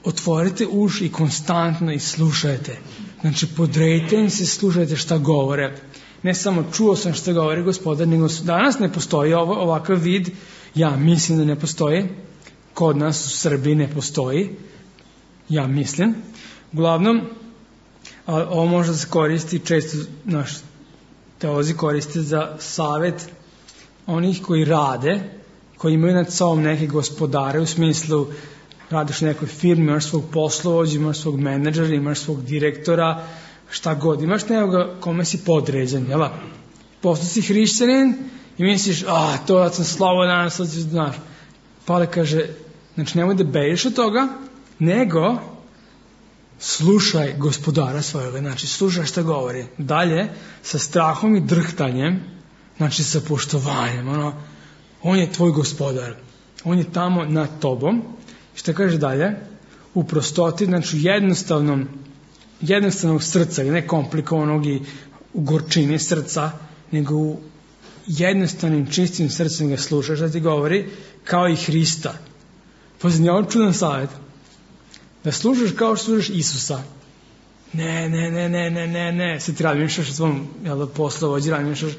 [SPEAKER 1] otvorite uši i konstantno i slušajte. Znači, podrejte im se, slušajte šta govore. Ne samo čuo sam šta govori gospodar, nego danas ne postoji ovo, ovakav vid, ja mislim da ne postoji, kod nas u Srbiji ne postoji, ja mislim. Uglavnom, ovo može da se koristi, često naš teolozi koriste za savjet onih koji rade, koji imaju nad sobom neke gospodare, u smislu radiš u nekoj firmi, imaš svog poslovođa, imaš svog menadžera, imaš svog direktora, šta god, imaš nekoga kome si podređen, jel? Postao si hrišćanin i misliš, a, to ja sam slobodan, sad ću znaš. Pavle kaže, znači nemoj da bežiš od toga, nego slušaj gospodara svojega, znači slušaj šta govori. Dalje, sa strahom i drhtanjem, znači sa poštovanjem, ono, on je tvoj gospodar, on je tamo nad tobom. Šta kaže dalje? U prostoti, znači u jednostavnom, jednostavnog srca, ne komplikovanog i u gorčini srca, nego u jednostavnim, čistim srcem ga slušaš, da ti govori, kao i Hrista. Poznaj, ovo čudan savjet. Da slušaš kao što slušaš Isusa. Ne, ne, ne, ne, ne, ne, ne. Sad ti razmišljaš o svom poslovođi, razmišljaš,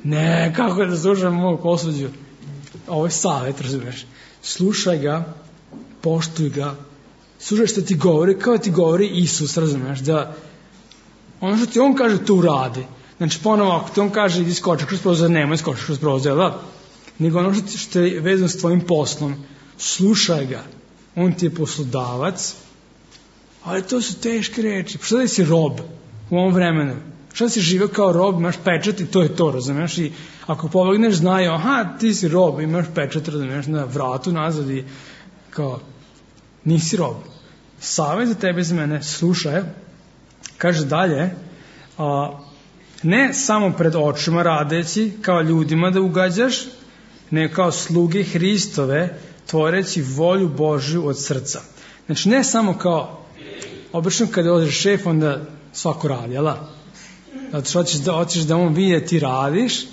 [SPEAKER 1] ne, kako je da slušam mog poslovođu? Ovo je savjet, razumiješ. Slušaj ga, poštuj ga, slušaj što ti govori, kao ti govori Isus, razumiješ, da ono što ti on kaže, to uradi. Znači, ponovo, ako ti on kaže, idi skoči kroz prozor, nemoj skoči kroz prozor, da? Nego ono što, što je vezano s tvojim poslom, slušaj ga. On ti je poslodavac, ali to su teške reči. Što da si rob u ovom vremenu? Što da si živio kao rob, imaš pečat i to je to, razumiješ? I ako pobegneš, znaju, aha, ti si rob, imaš pečat, razumiješ, na vratu nazad i kao, nisi rob. Savjet za tebe, za mene, slušaj, kaže dalje, a, ne samo pred očima radeći, kao ljudima da ugađaš, ne kao sluge Hristove, tvoreći volju Božju od srca. Znači, ne samo kao, obično kada odeš šef, onda svako radi, jel? Zato što hoćeš da, hoćeš da on vidi ti radiš,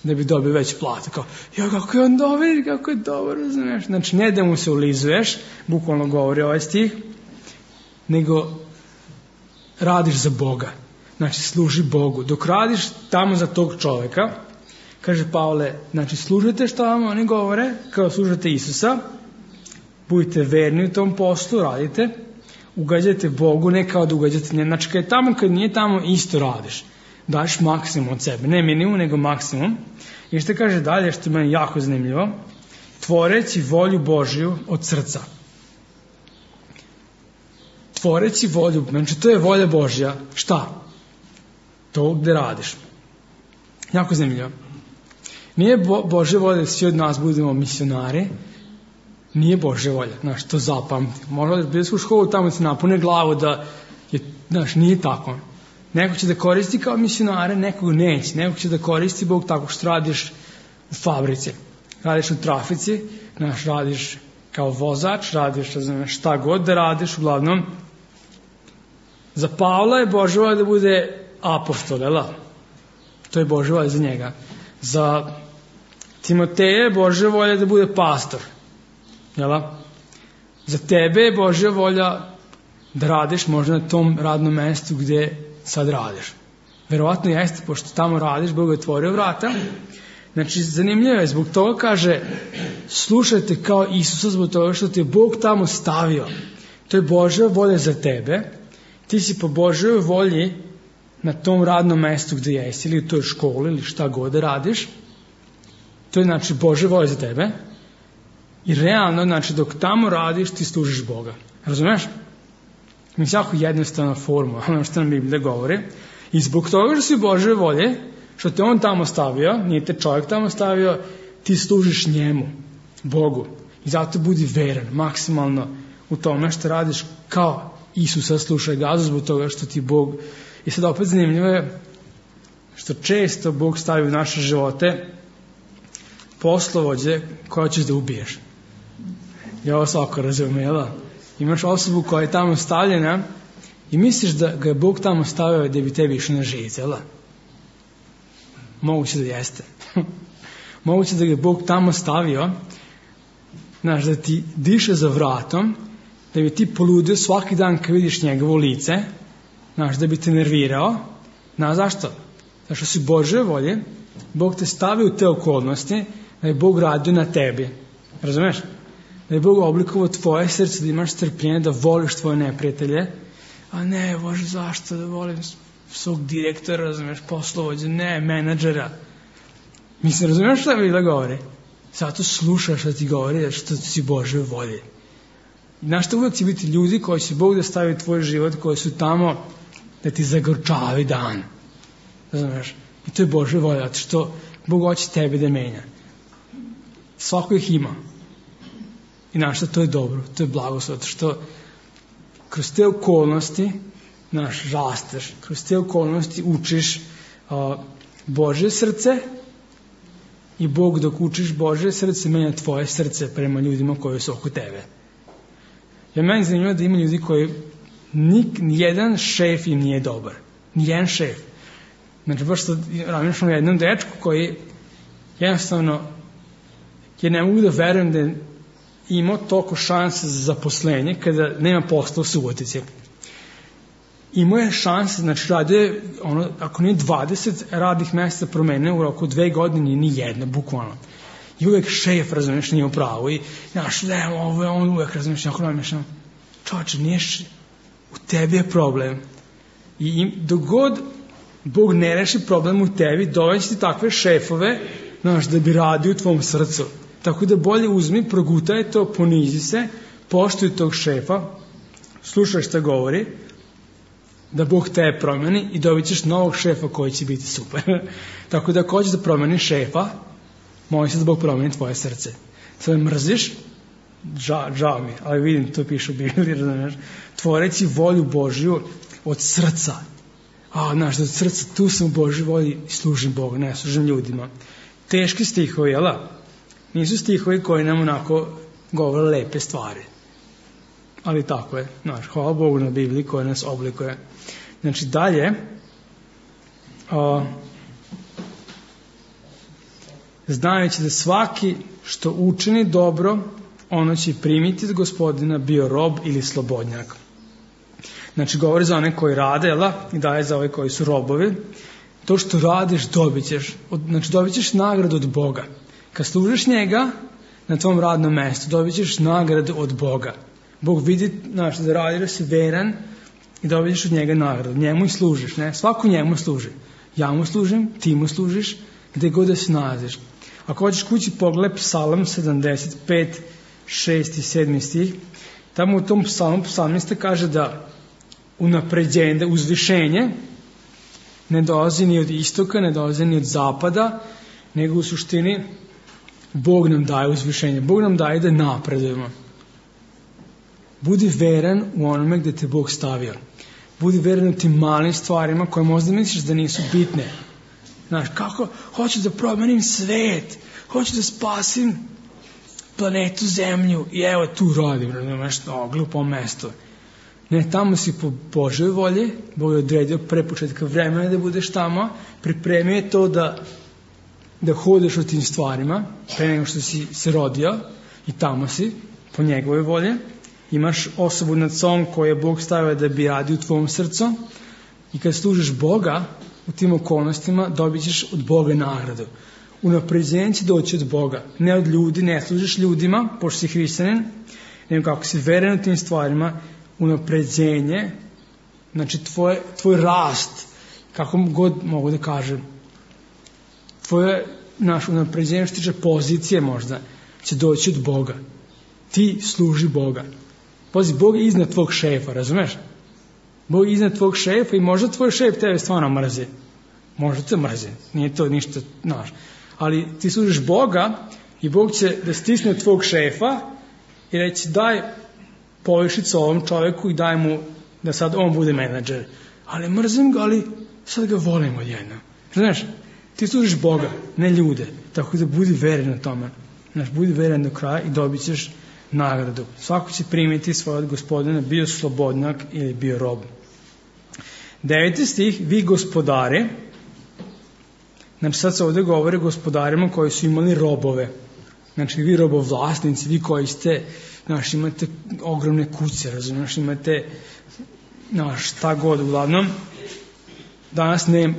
[SPEAKER 1] da bi dobio veću platu. Kao, ja, kako je on dobar, kako je dobar, razumiješ? Znači, ne da mu se ulizuješ, bukvalno govori ovaj stih, nego radiš za Boga. Znači, služi Bogu. Dok radiš tamo za tog čovjeka, kaže Pavle, znači, služite što vam oni govore, kao služite Isusa, budite verni u tom poslu, radite, ugađajte Bogu, ne kao da ugađate, znači, kad je tamo, kad nije tamo, isto radiš. Daš maksimum od sebe, ne minimum, nego maksimum. I što kaže dalje, što je meni jako zanimljivo, tvoreći volju Božju od srca. Tvoreći volju, znači, to je volja Božja. Šta? To gde radiš. Jako zanimljivo. Nije Bo, Božja volja da svi od nas budemo misionari, nije Božja volja, znaš, to zapamti. Možda da bili u školu, tamo se napune glavu da je, znaš, nije tako. Neko će da koristi kao misionare, nekog neće. Neko će da koristi Bog tako što radiš u fabrici, radiš u trafici, znaš, radiš kao vozač, radiš znaš, šta god da radiš, uglavnom. Za Pavla je Božja volja da bude apostol, jel? To je Božja volja za njega. Za Timoteja je Božja volja da bude pastor, jel? Za tebe je Božja volja da radiš možda na tom radnom mestu gdje sad radiš. Verovatno jeste, pošto tamo radiš, Bog je otvorio vrata. Znači, zanimljivo je, zbog toga kaže, slušajte kao Isusa, zbog toga što te je Bog tamo stavio. To je Božja volja za tebe. Ti si po Božjoj volji na tom radnom mestu gdje jesi, ili u toj školi, ili šta god da radiš. To je, znači, Božja volja za tebe. I realno, znači, dok tamo radiš, ti služiš Boga. Razumeš? Mislim, jako jednostavna formula, ono što nam Biblija govori. I zbog toga što si Božje volje, što te On tamo stavio, nije te čovjek tamo stavio, ti služiš njemu, Bogu. I zato budi veran, maksimalno u tome što radiš kao Isusa, slušaj gazu, zbog toga što ti Bog... I sad opet zanimljivo je što često Bog stavi u naše živote poslovođe koje ćeš da ubiješ. I ovo svako razumijela. Imaš osobu koja je tamo stavljena i misliš da ga je Bog tamo stavio da bi tebi išli na živice, jel? Moguće da jeste. Moguće da ga je Bog tamo stavio, znaš, da ti diše za vratom, da bi ti poludio svaki dan kad vidiš njegovo lice, znaš, da bi te nervirao. Znaš zašto? Zato što si Božje volje, Bog te stavio u te okolnosti, da je Bog radio na tebi. Razumeš? Da je Bog oblikovao tvoje srce, da imaš strpljenje, da voliš tvoje neprijatelje. A ne, Bože, zašto da volim svog direktora, razumeš, poslovođa, ne, menadžera. Mislim, razumeš šta Biblia govori? Zato slušaš šta ti govori, što si Božje volje. Znaš što uvijek će biti ljudi koji će Bog da stavi u tvoj život, koji su tamo da ti zagorčavi dan. Razumeš? I to je Božja volja, zato što Bog hoće tebe da menja. Svako ih ima. I znaš što, to je dobro, to je blagoslov, zato što kroz te okolnosti naš rasteš, kroz te okolnosti učiš uh, Božje srce i Bog dok učiš Božje srce menja tvoje srce prema ljudima koji su oko tebe. Ja meni zanimljivo da ima ljudi koji nik, nijedan šef im nije dobar. Nijedan šef. Znači, baš sad razmišljam o jednom dečku koji jednostavno, ja ne mogu da verujem da je imao toliko šanse za zaposlenje kada nema posla u Subotici. Imao je šanse, znači radio je, ono, ako nije dvadeset radnih mjesta promenio u roku dve godine, ni jedna, bukvalno. I uvijek šef, razumiješ, nije u pravu. I, znaš, ne, ovo je on uvijek, razumiješ, jako razmišljam, čovječe, niješ, u tebi je problem. I, i dok god Bog ne reši problem u tebi, doveći ti takve šefove, znaš, da bi radio u tvom srcu. Tako da bolje uzmi, progutaj to, ponizi se, poštuj tog šefa, slušaj šta govori, da Bog te promeni i dobit ćeš novog šefa koji će biti super. Tako da ako hoćeš da promeni šefa, moli se da Bog promeni tvoje srce. Sve mrziš, žao, žao mi, ali vidim, to piše u Bibliji, znaš, tvoreci volju Božju od srca. A, znaš, od srca, tu sam u Božoj volji i služim Bogu, ne služim ljudima. Teški stihovi, jel da? Nisu stihovi koji nam onako govore lepe stvari. Ali tako je, znaš, hvala Bogu na Bibliji koja nas oblikuje. Znači, dalje, a, znajući da svaki što učini dobro, ono će primiti od Gospodina, bio rob ili slobodnjak. Znači, govori za one koji rade, jel da? I daje za ove koji su robovi. To što radiš, dobit ćeš. Znači, dobit ćeš nagradu od Boga. Kad služiš njega na tvom radnom mjestu, dobit ćeš nagradu od Boga. Bog vidi, znaš, da radiš, da si veran i dobit ćeš od njega nagradu. Njemu i služiš, ne? Svako njemu služi. Ja mu služim, ti mu služiš, gdje god da se nalaziš. Ako hoćeš kući, pogledaj Psalam sedamdeset pet, šesti i sedmi stih. Tamo u tom psalmu psalmista kaže da unapređenje, da uzvišenje ne dolazi ni od istoka, ne dolazi ni od zapada, nego u suštini Bog nam daje uzvišenje. Bog nam daje da napredujemo. Budi veran u onome gdje te Bog stavio. Budi veran u tim malim stvarima koje možda misliš da nisu bitne. Znaš, kako? Hoću da promenim svet. Hoću da spasim planetu Zemlju. I evo tu radim, razumiješ, no, glupo mesto. Ne, tamo si po Božoj volji. Bog je odredio pre početka vremena da budeš tamo. Pripremio je to da da hodeš u tim stvarima pre nego što si se rodio i tamo si po njegovoj volji imaš osobu nad sobom koju je Bog stavio da bi radi u tvom srcu i kad služiš Boga u tim okolnostima dobit ćeš od Boga nagradu. Unapređenje će doći od Boga, ne od ljudi, ne služiš ljudima, pošto si hrišćanin, nego kako si veren u tim stvarima, unapređenje, znači tvoj, tvoj rast, kako god mogu da kažem, tvoje naš unapređenje što tiče pozicije možda, će doći od Boga. Ti služi Boga. Pazi, Bog je iznad tvog šefa, razumeš? Bog je iznad tvog šefa i možda tvoj šef tebe stvarno mrzi. Možda te mrzi, nije to ništa, znaš. Ali ti služiš Boga i Bog će da stisne tvog šefa i reći daj povišicu ovom čoveku i daj mu da sad on bude menadžer. Ali mrzim ga, ali sad ga volim odjednom. Znaš, ti služiš Boga, ne ljude. Tako da budi veren na tome. Znaš, budi veren do kraja i dobit ćeš nagradu. Svako će primiti svoje od Gospodina, bio slobodnjak ili bio rob. Deveti stih, vi gospodari, znači sad se ovdje govori o gospodarima koji su imali robove. Znači vi robovlasnici, vi koji ste, znaš, imate ogromne kuće, razumiješ, imate, znaš, šta god, uglavnom, danas ne,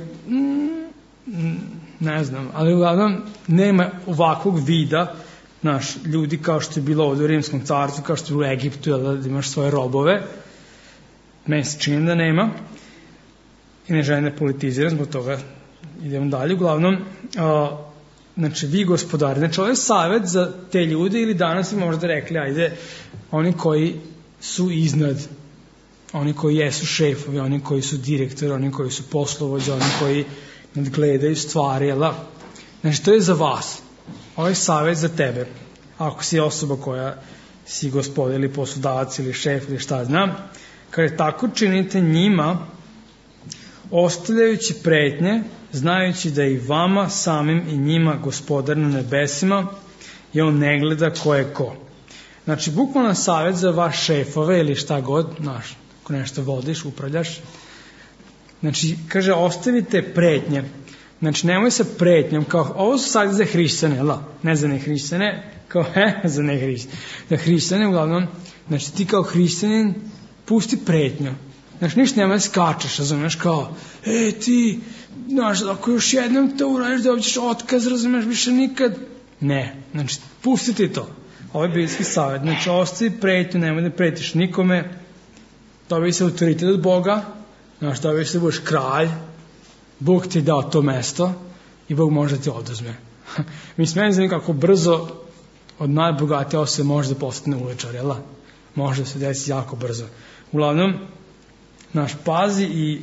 [SPEAKER 1] ne znam, ali uglavnom nema ovakvog vida, znaš, ljudi kao što je bilo ovdje u Rimskom carstvu, kao što je bilo u Egiptu, da imaš svoje robove, meni se čini da nema, i ne želim da politiziram, zbog toga idemo dalje, uglavnom, a, znači vi gospodari, znači ovo je savjet za te ljude ili danas bi možda rekli, ajde, oni koji su iznad, oni koji jesu šefovi, oni koji su direktori, oni koji su poslovođe, oni koji nadgledaju stvari, jel? Znači to je za vas, ovo je savjet za tebe, ako si osoba koja si gospodin ili poslodavac ili šef ili šta znam, kada tako činite njima, ostavljajući pretnje, znajući da i vama samim i njima gospodar na nebesima i on ne gleda ko je ko. Znači, bukvalno savjet za vaš šefove ili šta god, znaš, ako nešto vodiš, upravljaš. Znači, kaže, ostavite pretnje. Znači, nemoj sa pretnjom, kao, ovo su savjet za hrišćane, la, ne za ne hrišćane, kao, he, za ne hrišćane. Za hrišćane, uglavnom, znači, ti kao hrišćanin, pusti pretnju. Znači, ništa nema skačeš, razumeš, kao, e, ti, znaš, ako još jednom to uradiš, dobit ćeš otkaz, razumeš, više nikad. Ne, znači, pusti ti to. Ovo je biblijski savjet. Znači, ostavi pretnju, nemoj da pretiš nikome, dobij se autoritet od Boga, znaš, dobij se da budeš kralj, Bog ti je dao to mesto i Bog može da ti oduzme. Mislim, meni znam kako brzo od najbogatije osobe može da postane uličar, jel? Može da se desi jako brzo. Uglavnom, naš, pazi i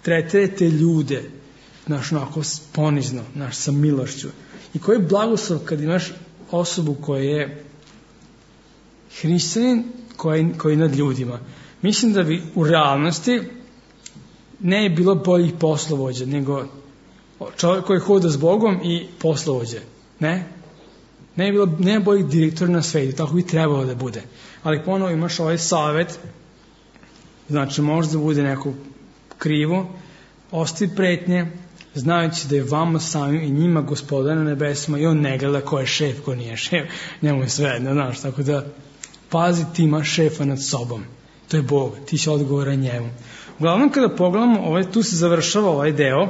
[SPEAKER 1] tretirajte ljude, naš, onako ponizno, naš, sa milošću. I koji je blagoslov kad imaš osobu koja je hrišćanin, koji, koji je nad ljudima. Mislim da bi u realnosti ne je bilo boljih poslovođa, nego čovjek koji hoda s Bogom i poslovođe. Ne? Ne je bilo, ne je boljih direktora na svetu, tako bi trebalo da bude. Ali ponovo imaš ovaj savjet, znači možda bude neko krivo, ostavi pretnje, znajući da je vama samim i njima gospodar na nebesima i on ne gleda ko je šef, ko nije šef, njemu je sve jedno, znaš, tako da pazi, ti imaš šefa nad sobom, to je Bog, ti si odgovoran njemu. Uglavnom kada pogledamo, ovaj, tu se završava ovaj deo,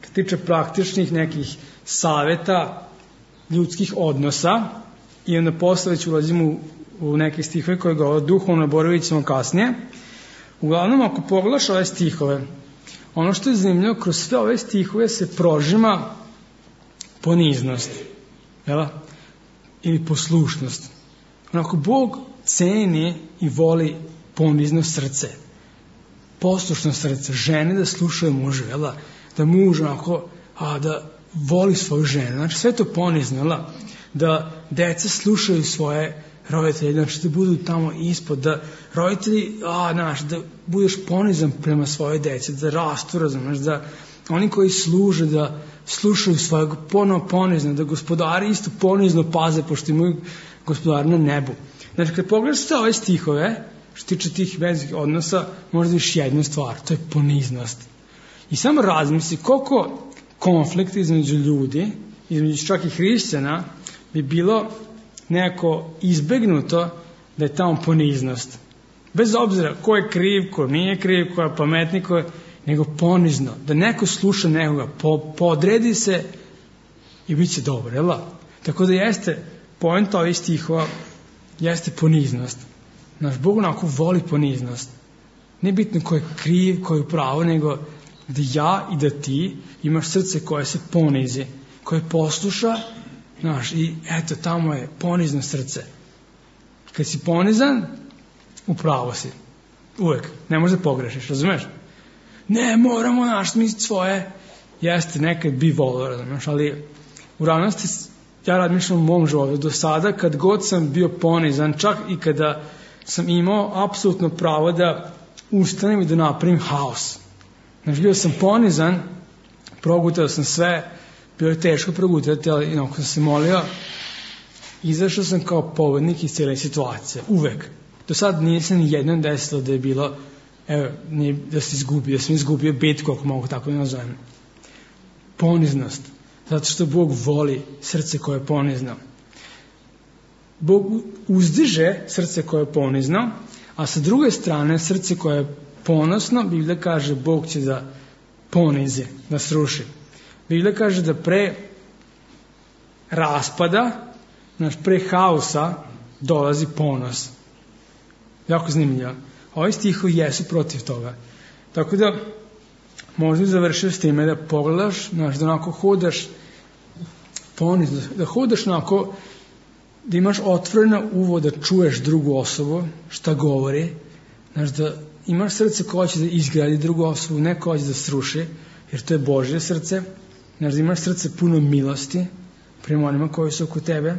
[SPEAKER 1] kad tiče praktičnih nekih savjeta, ljudskih odnosa, i onda posle već ulazimo u, u neke stihove koje govore duhovno, boravit ćemo kasnije. Uglavnom, ako pogledaš ove stihove, ono što je zanimljivo, kroz sve ove stihove se prožima poniznost, jel? Ili poslušnost. Onako, Bog ceni i voli ponizno srce, poslušno srce, žene da slušaju mužu, jel? Da muž onako, a, da voli svoju ženu, znači sve to ponizno, jel? Da deca slušaju svoje roditelji, znači da budu tamo ispod, da roditelji, a, znaš, da budeš ponizan prema svoje djece, da rastu, razumeš, da oni koji služe, da slušaju svojeg ponovo ponizno, da gospodari isto ponizno paze, pošto imaju gospodar na nebu. Znači, kad pogledaš sve ove stihove, što tiče tih vezih odnosa, možda viš jednu stvar, to je poniznost. I samo razmisli koliko konflikta između ljudi, između čak i hrišćana, bi bilo nekako izbegnuto da je tamo poniznost. Bez obzira ko je kriv, ko nije kriv, ko je pametni, ko je, nego ponizno. Da neko sluša nekoga, po, podredi se i bit će dobro, jel da? Tako da jeste, poenta ovih stihova jeste poniznost. Naš Bog onako voli poniznost. Ne bitno ko je kriv, ko je pravo, nego da ja i da ti imaš srce koje se ponizi, koje posluša, znaš, i eto, tamo je ponizno srce. Kad si ponizan, upravo si. Uvek. Ne možeš da pogrešiš, razumeš? Ne, moramo naš smisliti svoje. Jeste, nekad bi volio, razumeš, ali u realnosti ja razmišljam u mom životu. Do sada, kad god sam bio ponizan, čak i kada sam imao apsolutno pravo da ustanem i da napravim haos. Znači, bio sam ponizan, progutao sam sve, bilo je teško progutati, ali inako sam se molio, izašao sam kao pobednik iz cijele situacije. Uvek. Do sad nije se ni jednom desilo da je bilo, evo, nije, da se izgubio, da sam izgubio bitku, ako mogu tako da nazovem. Poniznost. Zato što Bog voli srce koje je ponizno. Bog uzdiže srce koje je ponizno, a sa druge strane srce koje je ponosno, Biblija kaže Bog će da ponizi, da sruši. Biblija kaže da pre raspada, znaš, pre haosa dolazi ponos. Jako zanimljivo. Ovi stihovi jesu protiv toga. Tako da možda završiti s time da pogledaš, znaš, da onako hodaš ponizno, da hodaš onako, da imaš otvoreno uvo da čuješ drugu osobu, šta govori, znaš, da imaš srce koje će da izgradi drugu osobu, ne koje će da sruši, jer to je Božje srce, znaš, da imaš srce puno milosti prema onima koji su oko tebe,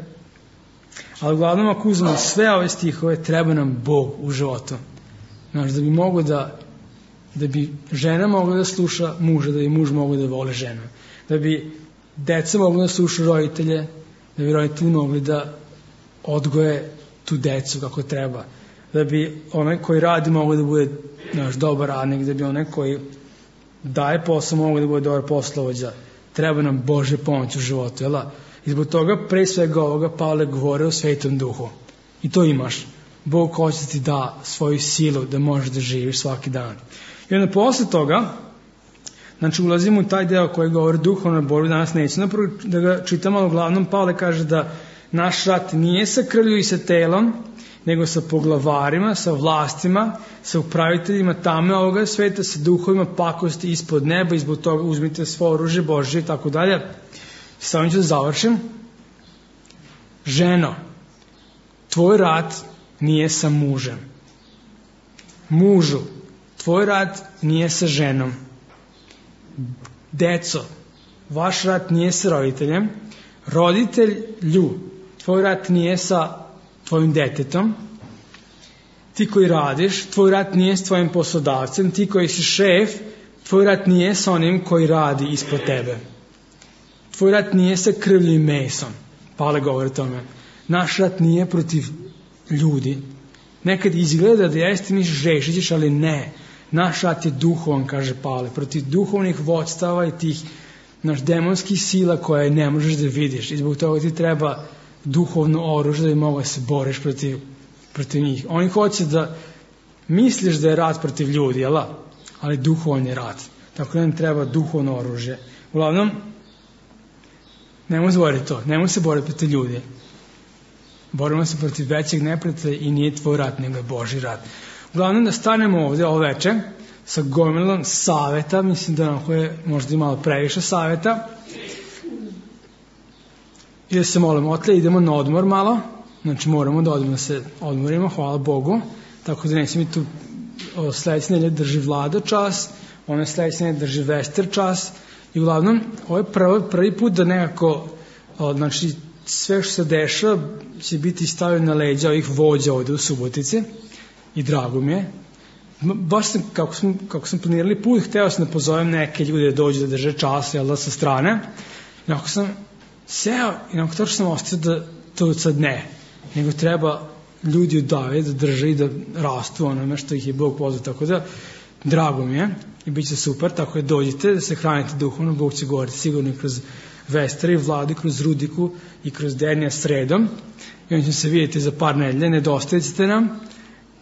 [SPEAKER 1] ali uglavnom ako uzmemo sve ove stihove, treba nam Bog u životu, znaš, da bi mogo da da bi žena mogla da sluša muža, da bi muž mogla da vole ženu, da bi deca mogla da sluša roditelje, da bi roditelji mogli da odgoje tu decu kako treba, da bi onaj koji radi mogao da bude naš dobar radnik, da bi onaj koji daje posao mogao da bude dobar poslovođa. Treba nam Božja pomoć u životu, jel da? I zbog toga pre svega ovoga Pavle govore o Svetom Duhu. I to imaš. Bog hoće ti da svoju silu da možeš da živiš svaki dan. I onda posle toga, znači ulazimo u taj deo koji govori duhovnoj borbi, danas nećemo da ga čitamo, ali uglavnom Pavle kaže da naš rat nije sa krvlju i sa telom, nego sa poglavarima, sa vlastima, sa upraviteljima tame ovoga sveta, sa duhovima pakosti ispod neba i zbog toga uzmite svo oružje Božje i tako dalje. Samo ću da završim. Ženo, tvoj rat nije sa mužem. Mužu, tvoj rat nije sa ženom. Deco, vaš rat nije sa roditeljem. Roditelju, tvoj rat nije sa tvojim detetom. Ti koji radiš, tvoj rat nije s tvojim poslodavcem. Ti koji si šef, tvoj rat nije sa onim koji radi ispod tebe. Tvoj rat nije sa krvlju i mesom. Pavle govori o tome. Naš rat nije protiv ljudi. Nekad izgleda da jeste mi žešićeš, ali ne. Naš rat je duhovan, kaže Pavle, protiv duhovnih vodstava i tih naš demonskih sila koje ne možeš da vidiš. I zbog toga ti treba duhovno oružje da bi mogla se boriš protiv, protiv njih. Oni hoće da misliš da je rat protiv ljudi, jel? Ali duhovan je rat. Tako da nam treba duhovno oružje. Uglavnom, nemoj zboriti to. Nemoj se boriti protiv ljudi. Borimo se protiv većeg neprijatelja i nije tvoj rat, nego je Božji rat. Uglavnom da stanemo ovdje ovo veče sa gomilom saveta, mislim da nam je možda i malo previše saveta. I da se molimo, otle idemo na odmor malo, znači moramo da odmor se odmorimo, hvala Bogu, tako da neće mi tu sledeće nedelje drži Vlada čas, ono sledeće nedelje drži Vester čas i uglavnom ovo je prvi, prvi put da nekako, znači sve što se dešava će biti stavljeno na leđa ovih vođa ovde u Subotici i drago mi je. Baš sam, kako sam, kako sam planirali put, hteo sam da pozovem neke ljude da dođu da drže čas, jel da, sa strane. I ako sam seo, i nakon toga sam ostao da to sad ne, nego treba ljudi odave da drže i da rastu onome što ih je Bog pozvao, tako da drago mi je i bit će super, tako da dođite da se hranite duhovno, Bog će govoriti sigurno i kroz Vestera i Vladu, kroz Rudiku i kroz Denija sredom i on će se vidjeti za par nedelje, nedostajat ćete nam.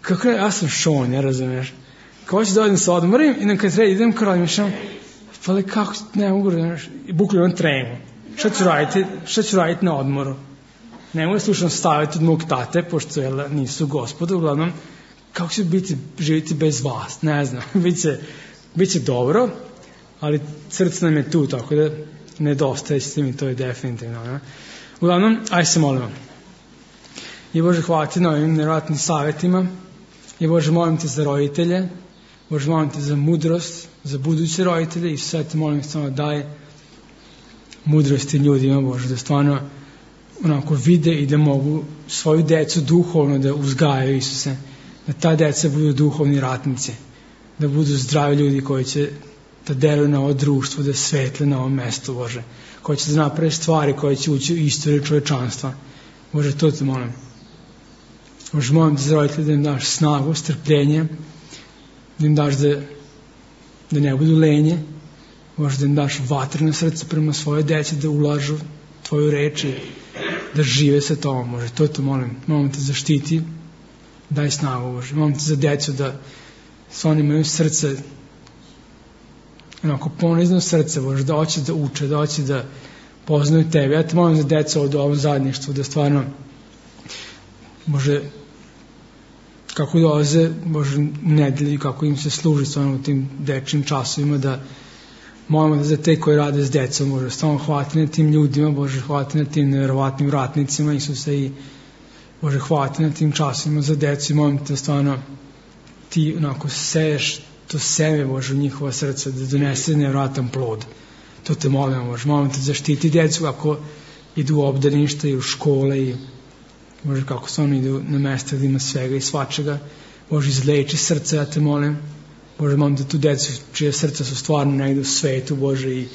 [SPEAKER 1] Kako je, ja sam šon, ja razumeš. Kao ću da odem se odmorim i kad treba idem, kao razmišljam, pa ali kako, ne mogu, znaš, i bukvalno imam tremu. Šta ću raditi, šta ću raditi na odmoru? Ne mogu da slušam staviti od mog tate, pošto jel, nisu gospoda, uglavnom, kako će biti, živjeti bez vas, ne znam, biće, biće dobro, ali srce nam je tu, tako da nedostaje s tim i to je definitivno. Ne? Uglavnom, aj se molimo. I Bože, hvala ti na ovim nevjerojatnim savjetima. I Bože, molim te za roditelje. Bože, molim te za mudrost, za buduće roditelje. I sve te molim samo daj mudrosti ljudima, Bože, da stvarno onako vide i da mogu svoju decu duhovno da uzgajaju, Isuse. Da ta deca budu duhovni ratnici. Da budu zdravi ljudi koji će da deluju na ovo društvo, da svetle na ovom mestu, Bože. Koji će da naprave stvari koje će ući u istoriju čovečanstva. Bože, to te molim. Bože, molim te za roditelje da im daš snagu, strpljenje, da im daš da, da ne budu lenje, Bože, da im daš vatreno srce prema svoje deci, da ulažu tvoju reč i da žive sa tobom, Bože, to te molim. Molim te zaštiti, daj snagu, Bože. Molim te za decu da s oni imaju srce, onako ponizno srce, Bože, da hoće da uče, da hoće da poznaju tebe. Ja te molim za decu od ovom zajedništvu, da stvarno, Bože, kako dolaze, Bože, nedelji, kako im se služi stvarno u tim dečjim časovima, da molimo da za te koji rade s decom, Bože, stvarno hvala na tim ljudima, Bože, hvala na tim nevjerovatnim ratnicima, Isuse, i Bože, hvala na tim časovima za decu i molim te da stvarno ti onako seješ to seme, Bože, u njihova srca, da donese nevjerojatan plod. To te molim, Bože, molim te zaštiti decu kako idu u obdaništa i u škole i Bože, kako stvarno idu na mesta gdje ima svega i svačega. Bože, izleči srce, ja te molim. Bože, molim da tu decu čije srca su stvarno negdje u svetu, Bože, i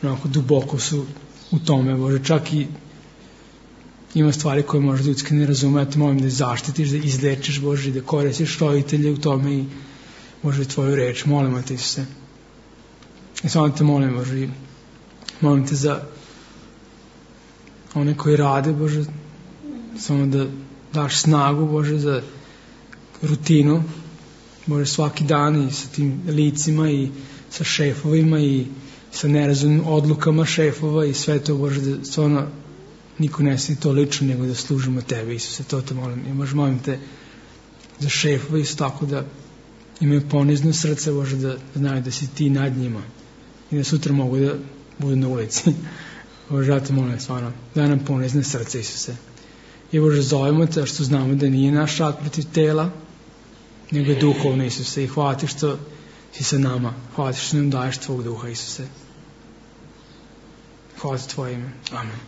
[SPEAKER 1] onako duboko su u tome, Bože, čak i ima stvari koje možda ljudski ne razume, ja te molim da zaštitiš, da izlečiš, Bože, i da koristiš roditelje u tome i Bože, tvoju reč, molimo te se. I samo te molim, Bože, i molim te za one koji rade, Bože, samo da daš snagu, Bože, za rutinu, Bože, svaki dan i sa tim licima i sa šefovima i sa nerazumnim odlukama šefova i sve to, Bože, da stvarno niko ne sedi to lično, nego da služimo tebe, Isuse, to te molim. I Bože, molim te za šefova isto tako da imaju ponizno srce, Bože, da znaju da si ti nad njima i da sutra mogu da budu na ulici. Bože, ja te molim, stvarno, da nam ponizne srce, Isuse. I Bože, zovemo te, što znamo da nije naš rat protiv tela, nego je duhovno, Isuse. I hvala ti što si sa nama. Hvala ti što nam daješ tvog duha, Isuse. Hvala ti tvoje ime. Amen.